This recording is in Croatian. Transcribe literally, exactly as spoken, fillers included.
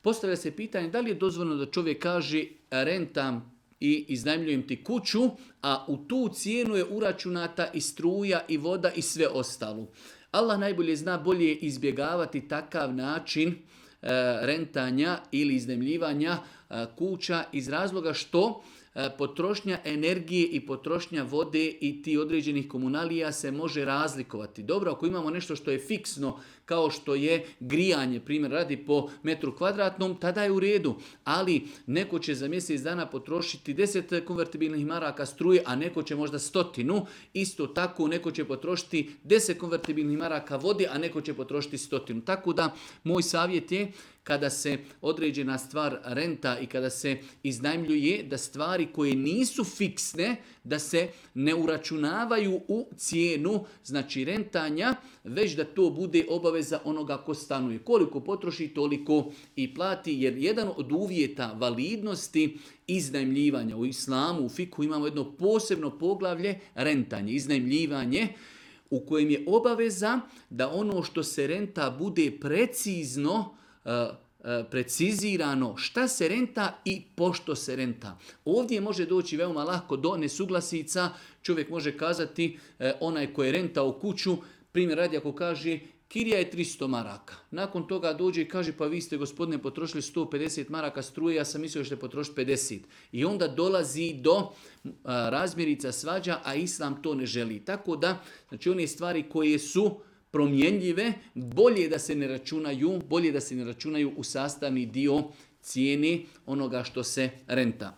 postavlja se pitanje da li je dozvoljeno da čovjek kaže rentam i iznajmljujem ti kuću, a u tu cijenu je uračunata i struja i voda i sve ostalo. Allah najbolje zna, bolje izbjegavati takav način e, rentanja ili iznajmljivanja e, kuća iz razloga što e, potrošnja energije i potrošnja vode i ti određenih komunalija se može razlikovati. Dobro, ako imamo nešto što je fiksno, kao što je grijanje, primjer radi po metru kvadratnom, tada je u redu. Ali neko će za mjesec dana potrošiti deset konvertibilnih maraka struje, a neko će možda stotinu. Isto tako neko će potrošiti deset konvertibilnih maraka vode, a neko će potrošiti stotinu. Tako da moj savjet je kada se određena stvar renta i kada se iznajmljuje, da stvari koje nisu fiksne, da se ne uračunavaju u cijenu, znači rentanja, već da to bude obaveza onoga ko stanuje. Koliko potroši, toliko i plati, jer jedan od uvjeta validnosti iznajmljivanja u islamu, u fiku imamo jedno posebno poglavlje rentanje, iznajmljivanje, u kojem je obaveza da ono što se renta bude precizno precizirano šta se renta i pošto se renta. Ovdje može doći veoma lako do nesuglasica. Čovjek može kazati, onaj koji je rentao kuću, primjer radi ako kaže kirija je tristo maraka. Nakon toga dođe i kaže pa vi ste gospodine potrošili sto pedeset maraka struje, ja sam mislio da ćete potrošiti pedeset. I onda dolazi do a, razmjerica svađa, a islam to ne želi. Tako da, znači one stvari koje su promjenljive, bolje da se ne računaju, bolje da se ne računaju u sastavni dio cijene onoga što se renta.